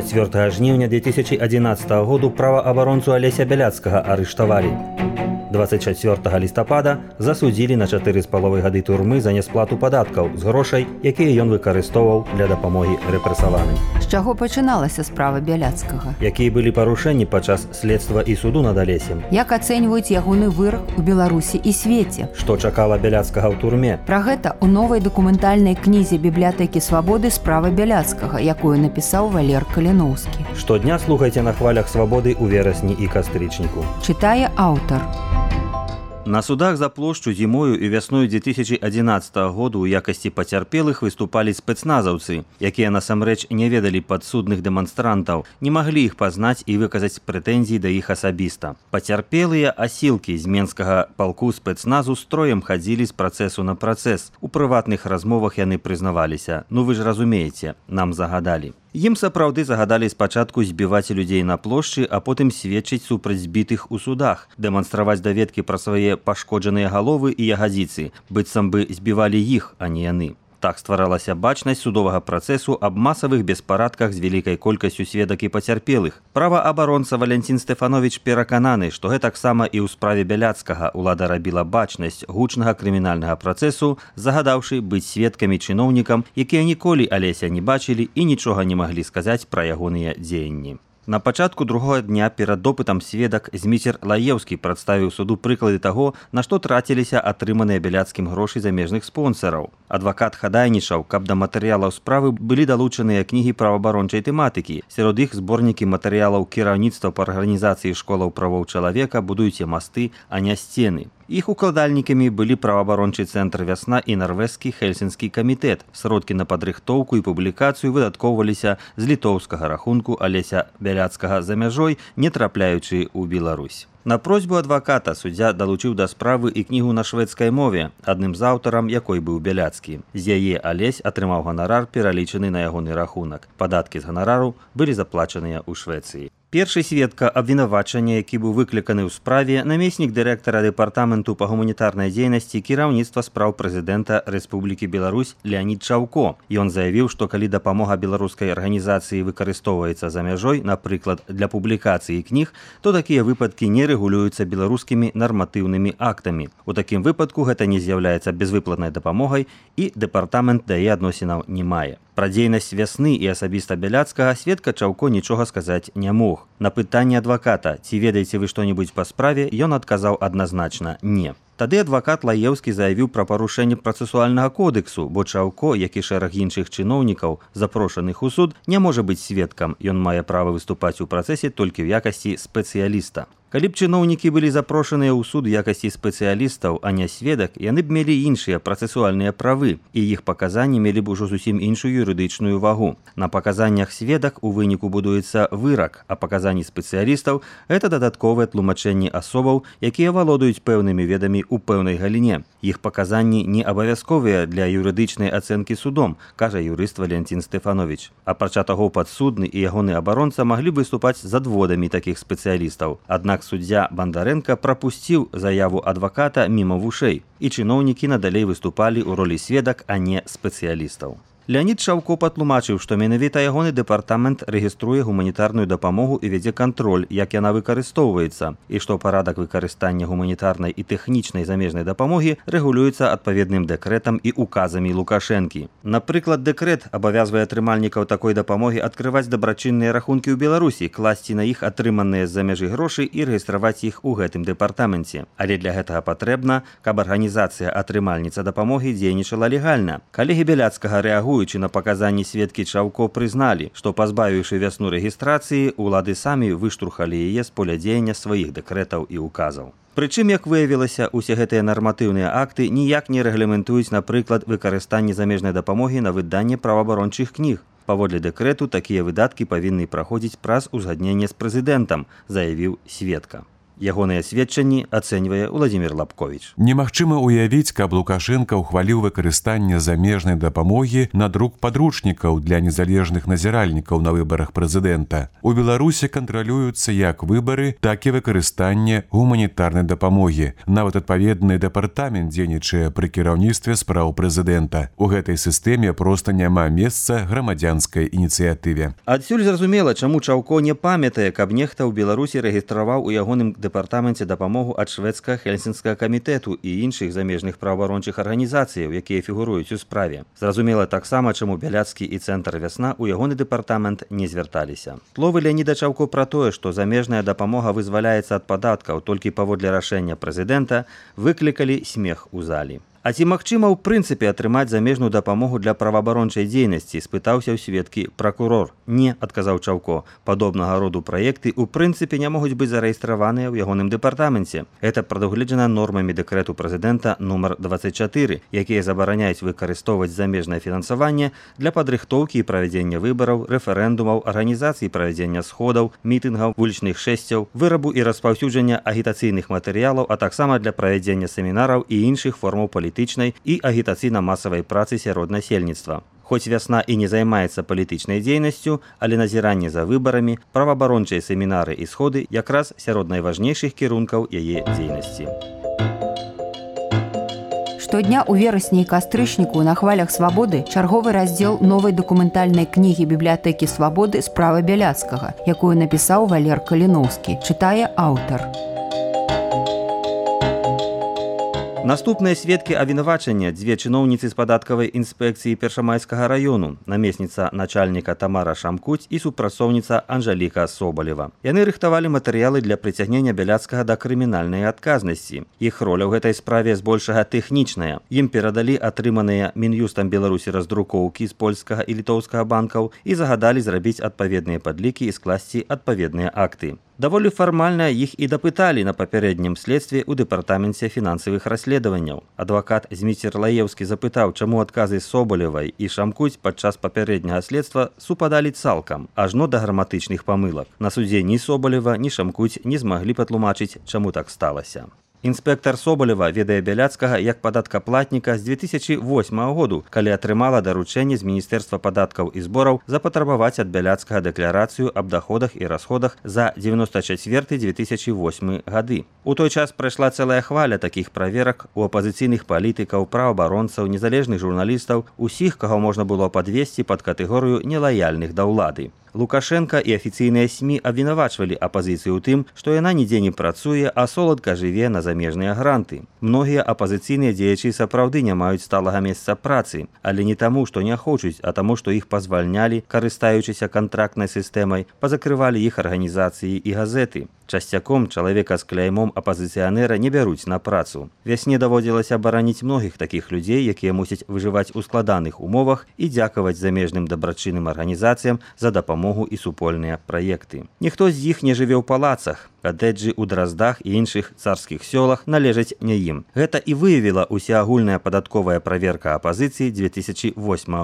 4 жніўня 2011 году праваабаронцу Алеся Бяляцкага арыштавалі. 24 лістапада засудзілі на 4,5 гады турмы за нясплату падаткаў з грошай, якія ён выкарыстоўваў для дапамогі рэпрэсаваным. З чаго пачыналася справа Бяляцкага? Якія былі парушэнні падчас следства і суду над Алесем? Як ацэньваюць ягоны вырак у Беларусі і свеце? Што чакала Бяляцкага ў турме? Пра гэта ў новай дакументальнай кнізе бібліятэкі Свабоды справа Бяляцкага, якую напісаў Валер Каліноўскі. Штодня слухайце на хвалях Свабоды ў верасні і кастрычніку. Чытае аўтар. На судах за плошчу зімою і вясною 2011 году ў якасці пацярпелых выступалі спецназаўцы, якія насамрэч не ведалі падсудных дэманстрантаў, не маглі іх пазнаць і выказаць прэтэнзіі да іх асабіста. Пацярпелыя асілкі з менскага палку спецназу строем хадзілі з працэсу на працэс. У прыватных размовах яны прызнаваліся: «Ну вы ж разумееце, нам загадалі». Ім сапраўды загадалі спачатку збіваць людзей на плошчы, а потым сведчыць супраць збітых у судах, дэманстраваць даведкі пра свае пашкоджаныя галовы і ягадзіцы, быццам бы збівалі іх, а не яны. Так стваралася бачнасць судовага працэсу аб масавых беспарадках з вялікай колькасцю сведак і пацярпелых. Праваабаронца Валянцін Стэфановіч перакананы, што гэтаксама і ў справе Бяляцкага ўлада рабіла бачнасць гучнага крымінальнага працэсу, загадаўшы быць сведкамі чыноўнікам, якія ніколі Алеся не бачылі і нічога не маглі сказаць пра ягоныя дзеянні. На пачатку другога дня перад допытам сведак Зміцер Лаеўскі прадставіў суду прыклады таго, на што траціліся атрыманыя Бяляцкім грошы замежных спонсараў. Адвакат хадайнічаў, каб да матэрыялаў справы былі далучаныя кнігі праваабарончай тэматыкі. Сярод іх зборнікі матэрыялаў кіраўніцтва па арганізацыі школаў правоў чалавека «Будуйце масты, а не сцены». Іх укладальнікамі былі праваабарончы цэнтр «Вясна» і нарвежскі Хельсінскі камітэт. Сродкі на падрыхтоўку і публікацыю выдаткоўваліся з літоўскага рахунку Алеся Бяляцкага за мяжой, не трапляючы ў Беларусь. На просьбу адваката суддзя далучыў да справы і кнігу на шведскай мове, адным з аўтарам якой быў Бяляцкі. З яе Алесь атрымаў ганарар, пералічаны на ягоны рахунак. Падаткі з ганарару былі заплачаныя ў Швецыі. Першы сведка абвінавачання, які быў выкліканы ў справе, намеснік дырэктара дэпартаменту па гуманітарнай дзейнасці кіраўніцтва спраў прэзідэнта Рэспублікі Беларусь Леанід Чаўко. Ён заявіў, што калі дапамога беларускай арганізацыі выкарыстоўваецца за мяжой, напрыклад, для публікацыі кніг, то такія выпадкі не рэгулююцца беларускімі нарматыўнымі актамі. У такім выпадку гэта не з'яўляецца безвыплатнай дапамогай і дэпартамент да яе адносінаў не мае. Пра дзейнасць Вясны і асабіста Бяляцкага сведка Чаўко нічога сказаць не мог. На пытанне адваката, ці ведаеце вы што-небудзь па справе, ён адказаў адназначна «не». Тады адвакат Лаеўскі заявіў пра парушэнне працэсуальнага кодексу, бо Чаўко, як і шэраг іншых чыноўнікаў, запрошаных у суд, не можа быць сведкам. Ён мае права выступаць у працэсе толькі ў якасці спецыяліста. Калі б чыноўнікі былі запрошаныя ў суд у якасці спецыялістаў, а не сведак, яны б мелі іншыя працэсуальныя правы, і іх паказанні мелі б ужо зусім іншую юрыдычную вагу. На паказаннях сведак у выніку будуецца вырак, а паказанні спецыялістаў – гэта дадатковыя тлумачэнні асобаў, якія валодаюць пэўнымі ведамі ў пэўнай галіне. Іх паказанні не абавязковыя для юрыдычнай ацэнкі судом, кажа юрыст Валянцін Стэфановіч. Апрача таго, падсудны і ягоны абаронца маглі выступаць з адводамі такіх спецыялістаў. Аднак суддзя Бандарэнка прапусціў заяву адваката міма вушэй, і чыноўнікі надалей выступалі ў ролі сведак, а не спецыялістаў. Леанід Чаўко патлумачыў, што менавіта ягоны дэпартамент рэгіструе гуманітарную дапамогу і вядзе кантроль, як яна выкарыстоўваецца, і што парадак выкарыстання гуманітарнай і тэхнічнай замежнай дапамогі рэгулюецца адпаведным дэкрэтам і указамі Лукашэнкі. Напрыклад, дэкрэт абавязвае атрымальнікаў такой дапамогі адкрываць дабрачынныя рахункі ў Беларусі, класці на іх атрыманыя з-за мяжы грошы і рэгістраваць іх у гэтым дэпартаменце. Але для гэтага патрэбна, каб арганізацыя атрымальніца дапамогі дзейнічала легальна. Калегі Бяляцкага рэагуюць на паказанні сведкі Чаўко прызналі, што пазбавіўшы Вясну рэгістрацыі, улады самі выштурхалі яе з поля дзеяння сваіх дэкрэтаў і указаў. Прычым, як выявілася, усе гэтыя нарматыўныя акты ніяк не рэгламентуюць, напрыклад, выкарыстанне замежнай дапамогі на выданне праваабарончых кніг. Паводле дэкрэту такія выдаткі павінны праходзіць праз узгадненне з прэзідэнтам, заявіў сведка. Ягоныя сведчанні ацэньвае Владзімір Лапковіч. Немагчыма ўявіць, каб Лукашенка ўхваліў выкарыстанне замежнай дапамогі на друк падручнікаў для незалежных назіральнікаў на выбарах прэзідэнта. У Беларусі кантралююцца як выбары, так і выкарыстанне гуманітарнай дапамогі. Нават адпаведны дэпартамент дзейнічае пры кіраўніцтве спраў прэзідэнта. У гэтай сістэме проста няма месца грамадзянскай ініцыятыве. Адсюль зразумела, чаму Чаўко не памятае, каб нехта ў Беларусі рэгістраваў у ягоным дэпартаменце дапамогу ад шведска-хельсінскага камітэту і іншых замежных праваабарончых арганізацыяў, якія фігуруюць у справе. Зразумела таксама, чаму Бяляцкі і Цэнтр Вясна ў ягоны дэпартамент не звярталіся. Словы Леаніда Чаўко пра тое, што замежная дапамога вызваляецца ад падаткаў толькі паводле рашэння прэзідэнта, выклікалі смех у залі. А ці магчыма ў прынцыпе атрымаць замежную дапамогу для праваабарончай дзейнасці, спытаўся ў сведкі пракурор. Не, адказаў Чаўко. Падобнага роду праекты ў прынцыпе не могуць быць зарэестраваныя ў ягоным дэпартаменце. Гэта прадугледжана нормамі дэкрэту прэзідэнта нумар 24, якія забараняюць выкарыстоўваць замежнае фінансаванне для падрыхтоўкі і правядзення выбараў, рэферэндумаў, арганізацыі правядзення сходаў, мітынгаў, вулічных шэсцяў, вырабу і распаўсюджання агітацыйных матэрыялаў, а таксама для правядзення семінараў і іншых формаў палітычнай і агітацыйна-масавай працы сярод насельніцтва. Хоць Вясна і не займаецца палітычнай дзейнасцю, але назіранне за выбарамі, праваабарончыя семінары і сходы якраз сярод найважнейшых кірункаў яе дзейнасці. Штодня ў верасні і кастрычніку на хвалях свабоды чарговы раздзел новай дакументальнай кнігі бібліятэкі свабоды «Справа Бяляцкага», якую напісаў Валер Каліноўскі, чытае аўтар. Наступныя сведкі абвінавачання, дзве чыноўніцы з падаткавай інспекцыі Першамайскага раёну, намесніца начальніка Тамара Шамкуць і супрацоўніца Анжаліка Собалева. Яны рыхтавалі матэрыялы для прыцягнення Бяляцкага да крымінальнай адказнасці. Іх роля ў гэтай справе збольшага тэхнічная. Ім перадалі атрыманыя Мін'юстам Беларусі раздрукоўкі з польскага і літоўскага банкаў і загадалі зрабіць адпаведныя падлікі і скласці адпаведныя акты. Даволі фармальна іх і дапыталі на папярэднім следстве ў дэпартаменце фінансавых расследаванняў. Адвакат Зміцер Лаеўскі запытаў, чаму адказы Собалевай і Шамкуць падчас папярэдняга следства супадалі цалкам, ажно да граматычных памылак. На судзе ні Собалева, ні Шамкуць не змаглі патлумачыць, чаму так сталася. Інспектар Собалева ведае Бяляцкага як падаткаплатніка з 2008 году, калі атрымала даручэнне з Міністэрства падаткаў і збораў запатрабаваць ад Бяляцкага дэкларацыю аб даходах і расходах за 94-2008 гады. У той час прайшла цэлая хваля такіх праверак у апазіцыйных палітыкаў, праваабаронцаў, незалежных журналістаў, усіх, каго можна было падвесці пад катэгорыю нелаяльных да ўлады. Лукашенка і афіцыйныя СМІ абвінавачвалі апазіцыю ў тым, што яна нідзе не працуе, а соладка жыве на замежныя гранты. Многія апазіцыйныя дзеячы сапраўды не маюць сталага месца працы, але не таму, што не хочуць, а таму, што іх пазвальнялі, карыстаючыся кантрактнай сістэмай, пазакрывалі іх арганізацыі і газеты. Часцяком чалавека з кляймом апазіцыянера не бяруць на працу. Вясне даводзілася абараніць многіх такіх людзей, якія мусяць выжываць у складаных умовах і дзякаваць замежным дабрачынным арганізацыям за дапамогу і супольныя праекты. Ніхто з іх не жыве ў палацах. Катэджы ў Драздах і іншых царскіх сёлах належаць не ім. Гэта і выявіла усеагульная падатковая праверка апазіцыі 2008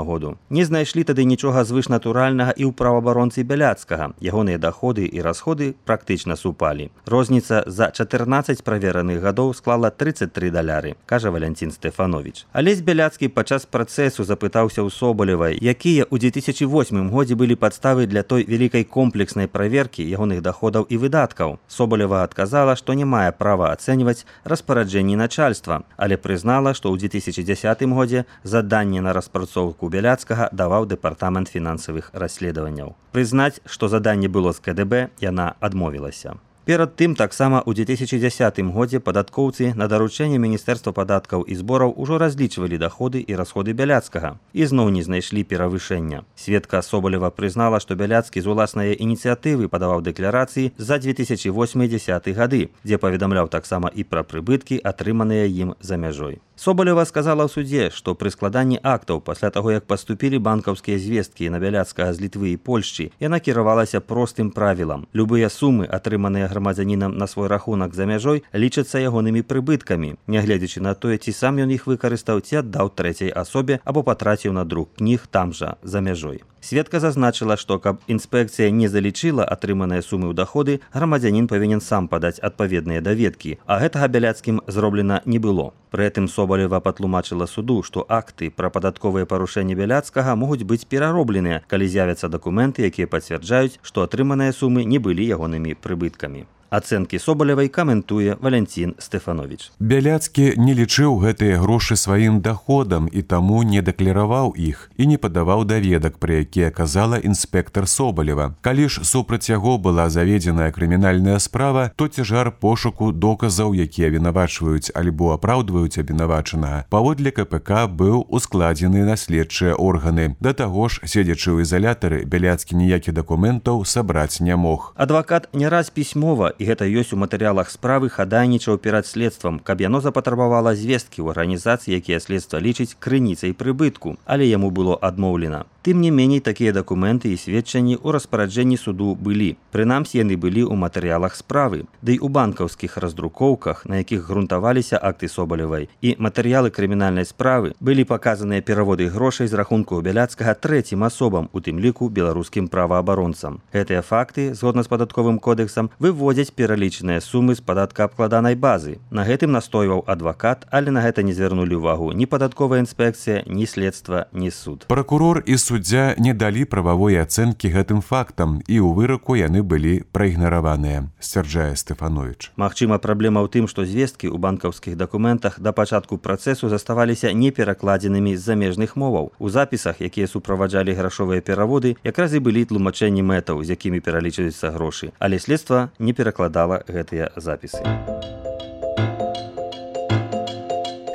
году. Не знайшлі тады нічога звышнатуральнага і ў праваабаронцы Бяляцкага. Ягоныя даходы і расходы практычна супалі. Розніца за 14 правераных гадоў склала $33, кажа Валянцін Стэфановіч. Алесь Бяляцкі падчас працэсу запытаўся ў Собалевай, якія ў 2008 годзе былі падставы для той вялікай комплекснай праверкі ягоных даходаў і выдаткаў. Собалева адказала, што не мае права ацэньваць распараджэнні начальства, але прызнала, што ў 2010 годзе заданне на распрацоўку Бяляцкага даваў дэпартамент фінансавых расследаванняў. Прызнаць, што заданне было з КДБ, яна адмовілася. Перад тым таксама ў 2010 годзе падаткоўцы на даручэнне Міністэрства падаткаў і збораў ужо разлічвалі даходы і расходы Бяляцкага і зноў не знайшлі перавышэння. Сведка Собалева прызнала, што Бяляцкі з уласнай ініцыятывы падаваў дэкларацыі за 2008-2010 гады, дзе паведамляў таксама і пра прыбыткі, атрыманыя ім за мяжой. Собалева сказала ў судзе, што пры складанні актаў пасля таго, як паступілі банкаўскія звесткі на Бяляцкага з Літвы і Польшчы, яна кіравалася простым правілам. Любыя сумы, атрыманыя грамадзянінам на свой рахунак за мяжой, лічацца ягонымі прыбыткамі, нягледзячы на тое, ці сам ён іх выкарыстаў, ці аддаў трэцяй асобе або патраціў на друк кніг там жа, за мяжой. Сведка зазначыла, што каб інспекцыя не залічыла атрыманыя сумы ў даходы, грамадзянін павінен сам падаць адпаведныя даведкі, а гэтага Бяляцкім зроблена не было. Пры гэтым Собалева патлумачыла суду, што акты пра падатковыя парушэнні Бяляцкага могуць быць пераробленыя, калі з'явяцца дакументы, якія пацвярджаюць, што атрыманыя сумы не былі ягонымі прыбыткамі. Ацэнкі Собалевай каментуе Валянцін Стэфановіч. Бяляцкі не лічыў гэтыя грошы сваім даходам і таму не дэклараваў іх і не падаваў даведак, пра якія казала інспектар Собалева. Калі ж супраць яго была заведзеная крымінальная справа, то цяжар пошуку доказаў, якія вінавачваюць альбо апраўдваюць абвінавачанага, паводле КПК быў ускладзены на следчыя органы. Да таго ж, седзячы ў ізалятары, Бяляцкі ніякіх дакументаў сабраць не мог. Адвакат не раз пісьмова, і гэта ёсць у матэрыялах справы, хадайнічаў перад следствам, каб яно запатрабавала звесткі ў арганізацыі, якія следства лічыць крыніцай прыбытку, але яму было адмоўлена. Тым не меней, такія дакументы і сведчанні ў распараджэнні суду былі. Прынамсі, яны былі ў матэрыялах справы, ды і ў банкаўскіх раздрукоўках, на якіх грунтаваліся акты Собалевай, і матэрыялы крымінальнай справы былі паказаныя пераводы грошай з рахунку Бяляцкага трэцім асобам, у тым ліку беларускім праваабаронцам. Гэтыя факты, згодна з падатковым кодэксам, выводзяць пералічаныя сумы з падаткаабкладанай базы. На гэтым настойваў адвакат, але на гэта не звярнулі ўвагу ні падатковая інспекцыя, ні следства, ні суд. Пракурор і суддзя не далі прававой ацэнкі гэтым фактам, і ў выраку яны былі праігнараваныя, сцвярджае Стэфановіч. Магчыма, праблема ў тым, што звесткі ў банкаўскіх дакументах да пачатку працэсу заставаліся неперакладзенымі з замежных моваў. У запісах, якія суправаджалі грашовыя пераводы, якраз і былі тлумачэнні мэтаў, з якімі пералічваюцца грошы, але следства не перакладала гэтыя запісы.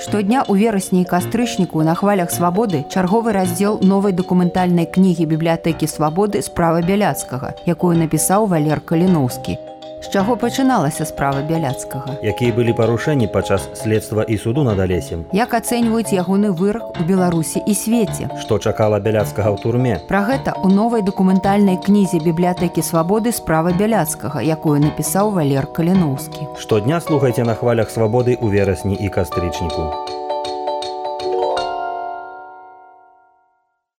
Штодня ў верасні і кастрычніку на хвалях свабоды чарговы раздзел новай дакументальнай кнігі бібліятэкі свабоды «Справа Бяляцкага», якую напісаў Валер Каліноўскі. З чаго пачыналася справа Бяляцкага? Якія былі парушэнні падчас следства і суду над Алесем? Як ацэньваюць ягоны вырак у Беларусі і свеце? Што чакала Бяляцкага ў турме? Пра гэта ў новай дакументальнай кнізе бібліятэкі свабоды «Справа Бяляцкага», якую напісаў Валер Каліноўскі. Штодня слухайце на хвалях свабоды ў верасні і кастрычніку.